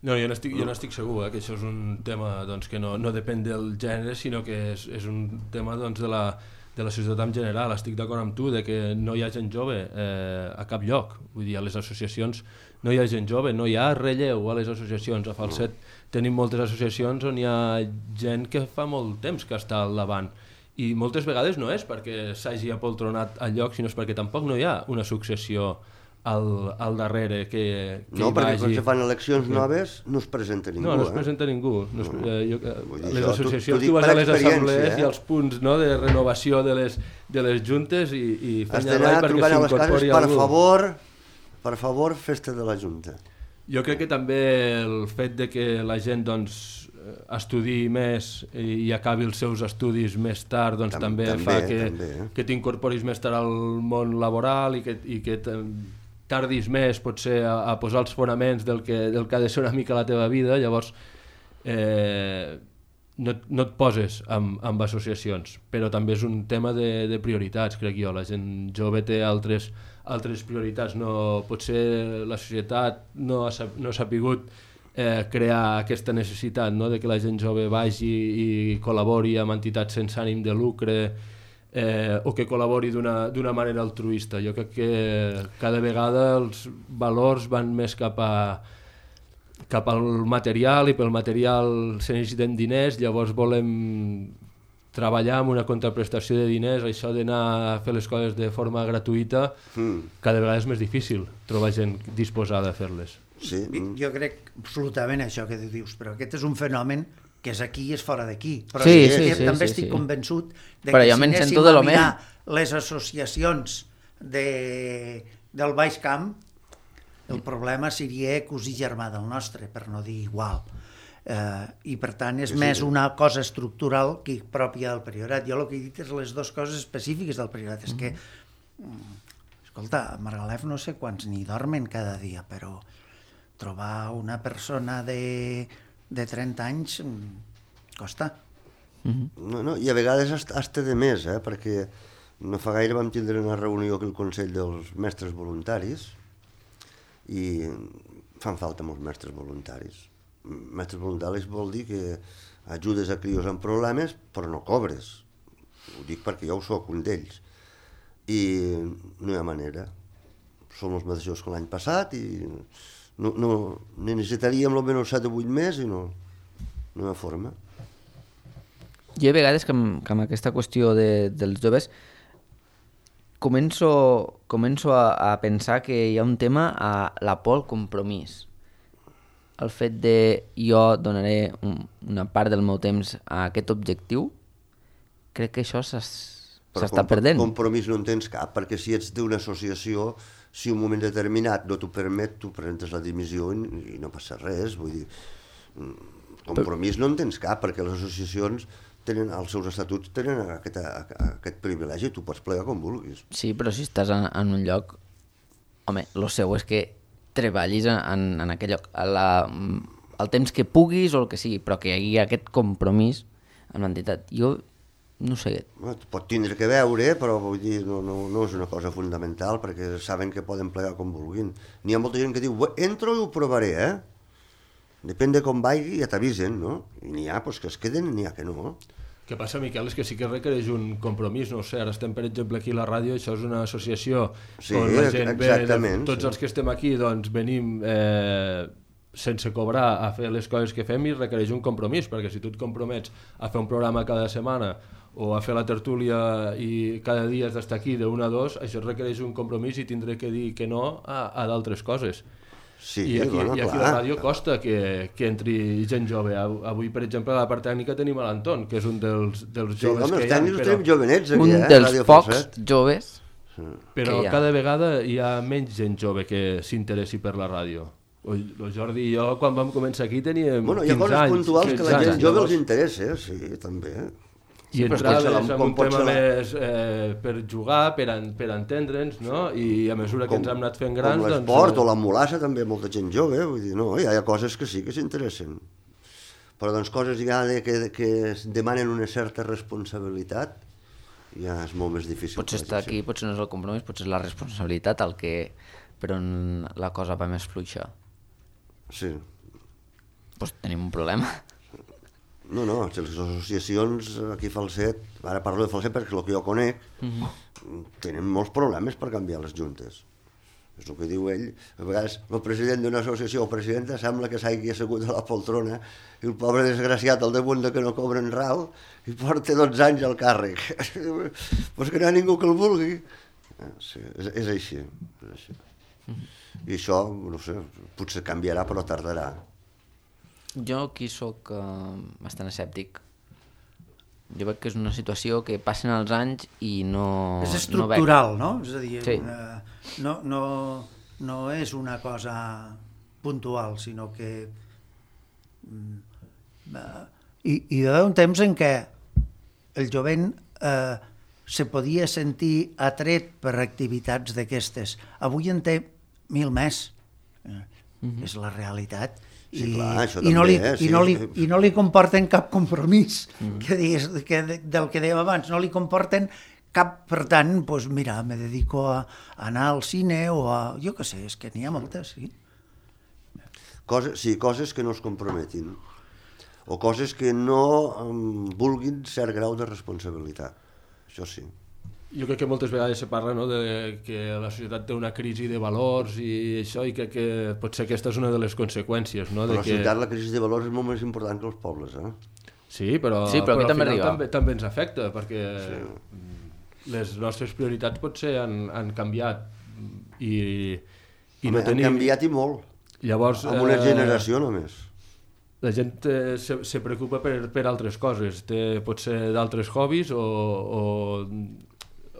No, jo n'estic segur, que això és un tema doncs, que no depèn del gènere, sinó que és un tema doncs, de la societat en general. Estic d'acord amb tu de que no hi ha gent jove a cap lloc. Vull dir, a les associacions no hi ha gent jove, no hi ha relleu a les associacions. A Falset tenim moltes associacions on hi ha gent que fa molt temps que està al davant. I moltes vegades no és perquè s'hagi apoltronat al lloc, sinó és perquè tampoc no hi ha una successió al darrere que no, perquè quan se fan eleccions noves no es presenta ningú. No es presenta ningú. Les associacions, tu vas a les assemblees i els punts de renovació de les juntes i has d'anar trucant a les cases, per favor, festa de la junta. Jo crec que també el fet de que la gent estudi més i acabi els seus estudis més tard també fa que t'incorporis més tard al món laboral i que tardis més potser a posar els fonaments del que ha de ser una mica la teva vida. Llavors no et poses amb associacions, però també és un tema de prioritats, crec jo. La gent jove té altres prioritats. Potser la societat no ha sapigut crear aquesta necessitat de que la gent jove vagi i col·labori amb entitats sense ànim de lucre o que col·labori d'una manera altruista. Jo crec que cada vegada els valors van més cap al material, i pel material se necessiten diners. Llavors volem treballar amb una contraprestació de diners. Això d'anar a fer les coses de forma gratuïta cada vegada és més difícil trobar gent disposada a fer-les. Sí. Jo crec absolutament això que tu dius, però aquest és un fenomen que és aquí i és fora d'aquí. Però també estic convençut de que si anéssim a mirar les associacions del Baix Camp, el problema seria cosí germà del nostre, per no dir igual. I per tant és més una cosa estructural que pròpia del Priorat. Jo el que he dit és les dues coses específiques del Priorat. És que, escolta, a Margalef no sé quants n'hi dormen cada dia, però trobar una persona de 30 anys costa. No, i a vegades hasta de més, perquè no fa gaire vam tindre una reunió aquí al Consell dels Mestres Voluntaris i fan falta molts mestres voluntaris. Mestres voluntaris vol dir que ajudes a crios amb problemes però no cobres. Ho dic perquè jo soc un d'ells. I no hi ha manera. Som els mateixos que l'any passat i necessitaríem almenys 7 o 8 més i no hi ha forma. Jo a vegades que amb aquesta qüestió dels joves començo a pensar que hi ha un tema a la por al compromís. El fet de jo donaré una part del meu temps a aquest objectiu, crec que això s'està perdent. Compromís no en tens cap, perquè si ets d'una associació, si un moment determinat no t'ho permet, tu presentes la dimissió i no passa res. Vull dir, compromís no en tens cap, perquè les associacions tenen, els seus estatuts tenen aquest privilegi, tu pots plegar com vulguis. Sí, però si estàs en un lloc, home, el seu és que treballis en aquell lloc el temps que puguis o el que sigui, però que hi hagi aquest compromís amb l'entitat. Jo no sé. Pot tindre que veure, però vull dir, no és una cosa fundamental, perquè saben que poden plegar com vulguin. N'hi ha molta gent que diu, entro i ho provaré, Depèn de com vagi, ja t'avisen, no? I n'hi ha que es queden i n'hi ha que no. El que passa, Miquel, és que sí que requereix un compromís, no sé, ara estem, per exemple, aquí a la ràdio, això és una associació on la gent ve, tots els que estem aquí, doncs venim sense cobrar a fer les coses que fem i requereix un compromís, perquè si tu et compromets a fer un programa cada setmana o a fer la tertúlia i cada dia has d'estar aquí de 1 a 2, això requereix un compromís i tindré que dir que no a d'altres coses. Sí, I aquí a la ràdio costa que entri gent jove. Avui, per exemple, a la part tècnica tenim l'Anton, que és un dels joves que hi ha. Els tècnics tenim jovenets aquí, un dels pocs joves. Però cada vegada hi ha menys gent jove que s'interessi per la ràdio. El Jordi i jo, quan vam començar aquí, teníem 15 anys. Hi ha coses puntuals que la gent jove els interessa, sí, també. I entraves en un tema més per jugar, per entendre'ns, no? I a mesura que ens hem anat fent grans... Com l'esport o la mulassa també, molta gent jove, vull dir, no, hi ha coses que sí que s'interessen. Però doncs coses ja que es demanen una certa responsabilitat ja és molt més difícil. Potser està aquí, potser no és el compromís, potser és la responsabilitat el que per on la cosa va més fluixa. Sí. Doncs tenim un problema. No, les associacions aquí a Falset, ara parlo de Falset perquè és el que jo conec, tenen molts problemes per canviar les juntes. És el que diu ell. A vegades el president d'una associació o presidenta sembla que s'hagi assegut a la poltrona i el pobre desgraciat al damunt de que no cobren rau i porta 12 anys al càrrec. Pues que no hi ha ningú que el vulgui. Sí, és així. I això, no sé, potser canviarà però tardarà. Jo aquí sóc bastant escèptic. Jo veig que és una situació que passen els anys i no... És estructural, no? És a dir, sí. no és una cosa puntual, sinó que... I hi va haver un temps en què el jovent se podia sentir atret per activitats d'aquestes. Avui en té 1.000 més. És la realitat. Sí, clar, això i, no li, també, i no li comporten cap compromís del que dèiem abans, no li comporten cap, per tant, doncs mira, me dedico a anar al cine o a, jo què sé, és que n'hi ha moltes, sí. Coses que no es comprometin o coses que no vulguin cert grau de responsabilitat, això sí. Jo crec que moltes vegades se parla, no, de que la societat té una crisi de valors i això, i crec que potser aquesta és una de les conseqüències. No? La societat, la crisi de valors és molt més important que els pobles, Sí, però aquí també arriba. També ens afecta, perquè les nostres prioritats potser han canviat i no tenim... Han canviat i molt, llavors, amb una generació només. La gent se preocupa per altres coses, té potser d'altres hobbies o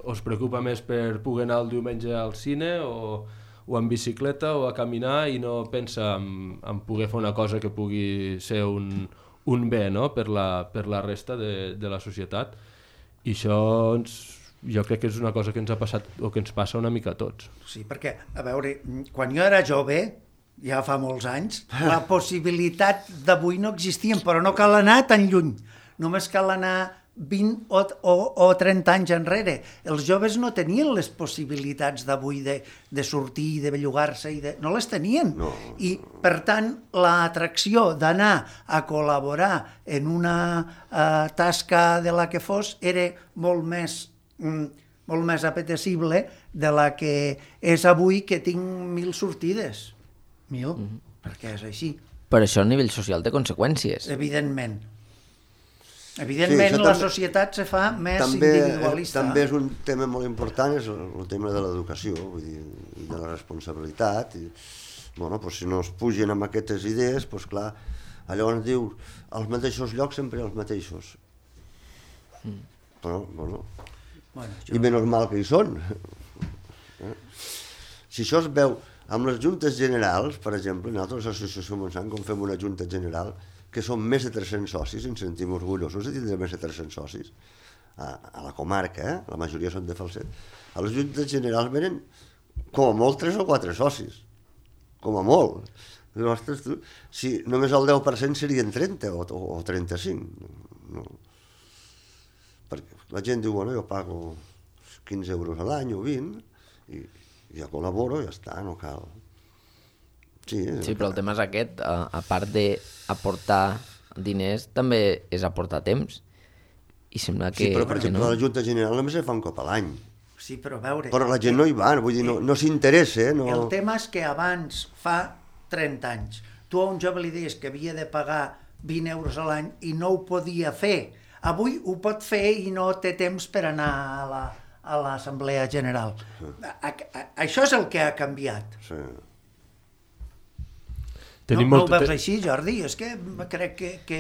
es preocupa més per poder anar el diumenge al cine o en bicicleta o a caminar i no pensa en poder fer una cosa que pugui ser un bé, no? per la resta de la societat. I això jo crec que és una cosa que ens ha passat o que ens passa una mica a tots. Sí, perquè, a veure, quan jo era jove, ja fa molts anys, la possibilitat d'avui no existia, però no cal anar tan lluny. Només cal anar 20 o 30 anys enrere. Els joves no tenien les possibilitats d'avui de sortir, de bellugar-se, no les tenien. No. I, per tant, l'atracció d'anar a col·laborar en una tasca de la que fos era molt més apetecible de la que és avui, que tinc 1.000 sortides. 1.000, perquè és així. Per això el nivell social té conseqüències. Evidentment. Evidentment, la societat se fa més individualista. També és un tema molt important, és el tema de l'educació, vull dir, de la responsabilitat. I, bueno, doncs si no es pugen amb aquestes idees, doncs clar, llavors diu, als mateixos llocs sempre els mateixos. Però, bueno, i menys mal que hi són. Si això es veu amb les juntes generals, per exemple, nosaltres a l'Associació Montsant, com fem una junta general, que són més de 300 socis, ens sentim orgullosos de tindre més de 300 socis a la comarca, la majoria són de Falset. A les juntes generals venen com a molt 3 o 4 socis, com a molt. Ostres, tu, si només el 10% serien 30 o 35. No. Perquè la gent diu, bueno, jo pago 15 euros a l'any o 20 i ja col·laboro, ja està, no cal. Sí, però el tema és aquest, a part d'aportar diners, també és aportar temps. I sembla que... Sí, però per exemple, la Junta General només se fa un cop a l'any. Sí, però a veure... Però la gent no hi va, vull dir, no s'interessa. No... El tema és que abans, fa 30 anys, tu a un jove li deies que havia de pagar 20 euros a l'any i no ho podia fer. Avui ho pot fer i no té temps per anar a l'Assemblea General. Això és el que ha canviat. Sí. No ho veus així, Jordi? És que crec que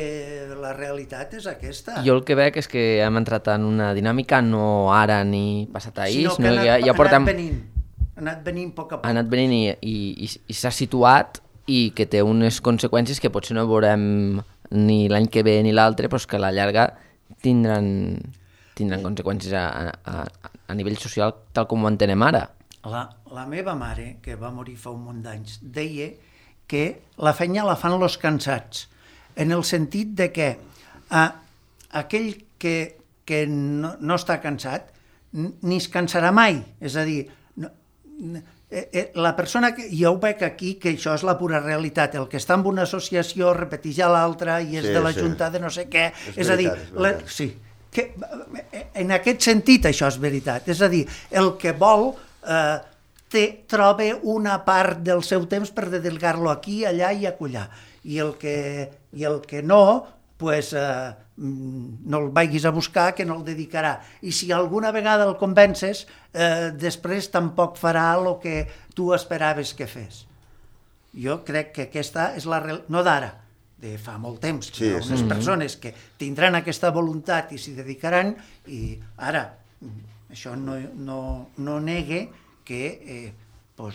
la realitat és aquesta. Jo el que veig és que hem entrat en una dinàmica, no ara ni passat ahir, sinó que ja portem... ha anat venint a poc a poc. Ha anat venint i s'ha situat i que té unes conseqüències que potser no veurem ni l'any que ve ni l'altre, però que a la llarga tindran conseqüències a nivell social tal com ho entenem ara. La meva mare, que va morir fa un munt d'anys, deia que la feina la fan los cansats. en el sentit de que aquell que no està cansat ni es cansarà mai, és a dir, la persona que jo ho veig aquí, que això és la pura realitat, el que està en una associació repeteix a l'altra i és de la junta de no sé què, és a dir, sí, que en aquest sentit això és veritat, és a dir, el que vol troba una part del seu temps per dedicar-lo aquí, allà i acollar, i el que no, pues, no el vagis a buscar, que no el dedicarà. I si alguna vegada el convences, després tampoc farà el que tu esperaves que fes. Jo crec que aquesta és la realitat, no d'ara, de fa molt temps. Hi ha unes persones que tindran aquesta voluntat i s'hi dedicaran, i ara, això no negue que el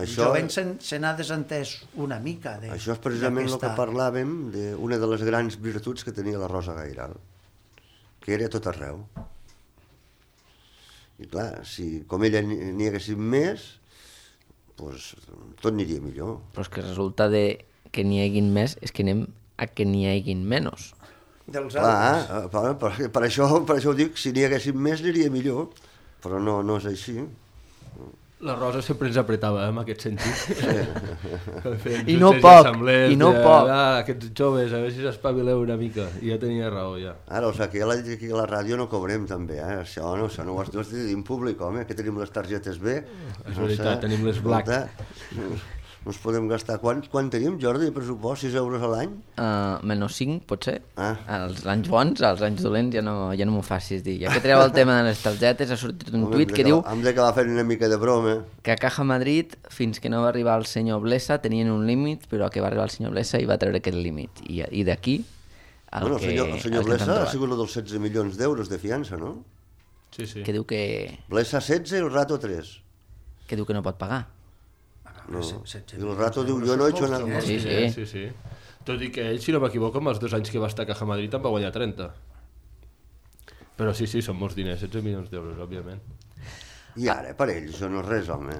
jovent se n'ha desentès una mica. Això és precisament el que parlàvem d'una de les grans virtuts que tenia la Rosa Gairal, que era tot arreu. I clar, si com ella n'hi haguessin més, doncs tot aniria millor. Però és que resulta que n'hi haguin més, és que anem a que n'hi haguin menys. Clar, per això ho dic, si n'hi haguessin més aniria millor, però no és així. La Rosa sempre ens apretava, en aquest sentit. I no poc, i no poc. Aquests joves, a veure si s'espavileu una mica. I ja tenia raó, ja. Ara, o sigui, que ja l'ha dit aquí a la ràdio no cobrem, també, eh? Això no ho has dit en públic, home, que tenim les targetes B. És veritat, tenim les black. No ens podem gastar. Quan tenim, Jordi, de pressupost? 6 euros a l'any? Menys 5, potser. Els anys bons, els anys dolents, ja no m'ho facis dir. Ja que treu el tema de les targetes, ha sortit un tuit que diu... Hem d'acabar fent una mica de broma. Que a Caja Madrid, fins que no va arribar el senyor Blesa, tenien un límit, però que va arribar el senyor Blesa i va treure aquest límit. I d'aquí... El senyor Blesa ha sigut el dels 16 milions d'euros de fiança, no? Sí. Que diu que... Blesa 16 i el Rato 3. Que diu que no pot pagar. No. I el Rato diu, jo no he hecho nada. Sí. Tot i que ell, si no m'equivoco, amb els 2 anys que va estar a Caja Madrid en va guanyar 30. Però sí, són molts diners, 16 milions d'euros, òbviament. I ara, per ell, això no és res, home.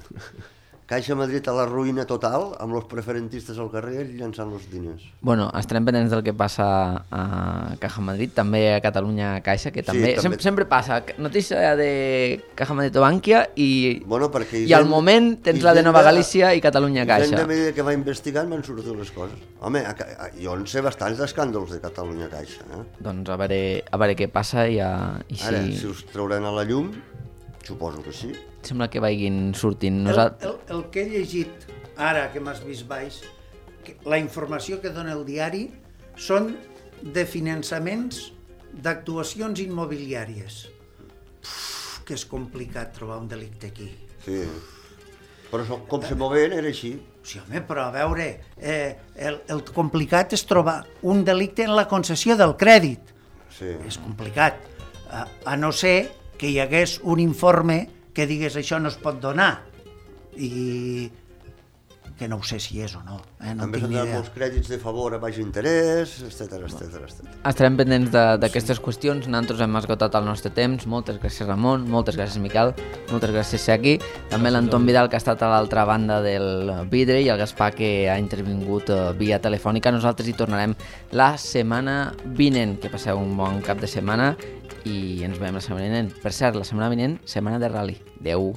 Caixa Madrid a la ruïna total, amb els preferentistes al carrer llançant els diners. Bueno, estarem pendents del que passa a Caja Madrid, també a Catalunya Caixa, que també, sempre passa. Notícia de Caja Madrid o Bànquia i al moment tens la de Nova Galícia i Catalunya Caixa. I a mesura que va investigant van sortir les coses. Home, jo en sé bastants d'escàndols de Catalunya Caixa. Doncs a veure què passa i si... Ara, si us trauran a la llum, suposo que sí. Sembla que vagin sortint. El que he llegit ara, que m'has vist baix, la informació que dona el diari són de finançaments d'actuacions immobiliàries. Que és complicat trobar un delicte aquí. Sí, però com se moven era així. Sí, home, però a veure, el complicat és trobar un delicte en la concessió del crèdit. Sí. És complicat, a no ser que hi hagués un informe que digués això no es pot donar, i que no ho sé si és o no. No també tinc ni s'han idea. donat molts crèdits de favor a baix interès, etc. Estarem pendents d'aquestes qüestions. Nosaltres hem esgotat el nostre temps. Moltes gràcies, Ramon, moltes gràcies, Miquel, moltes gràcies, Seki, també l'Anton Vidal, que ha estat a l'altra banda del vidre, i el Gaspar, que ha intervingut via telefònica. Nosaltres hi tornarem la setmana vinent. Que passeu un bon cap de setmana i ens veiem la setmana vinent. Per cert, la setmana vinent, setmana de rally. Adeu.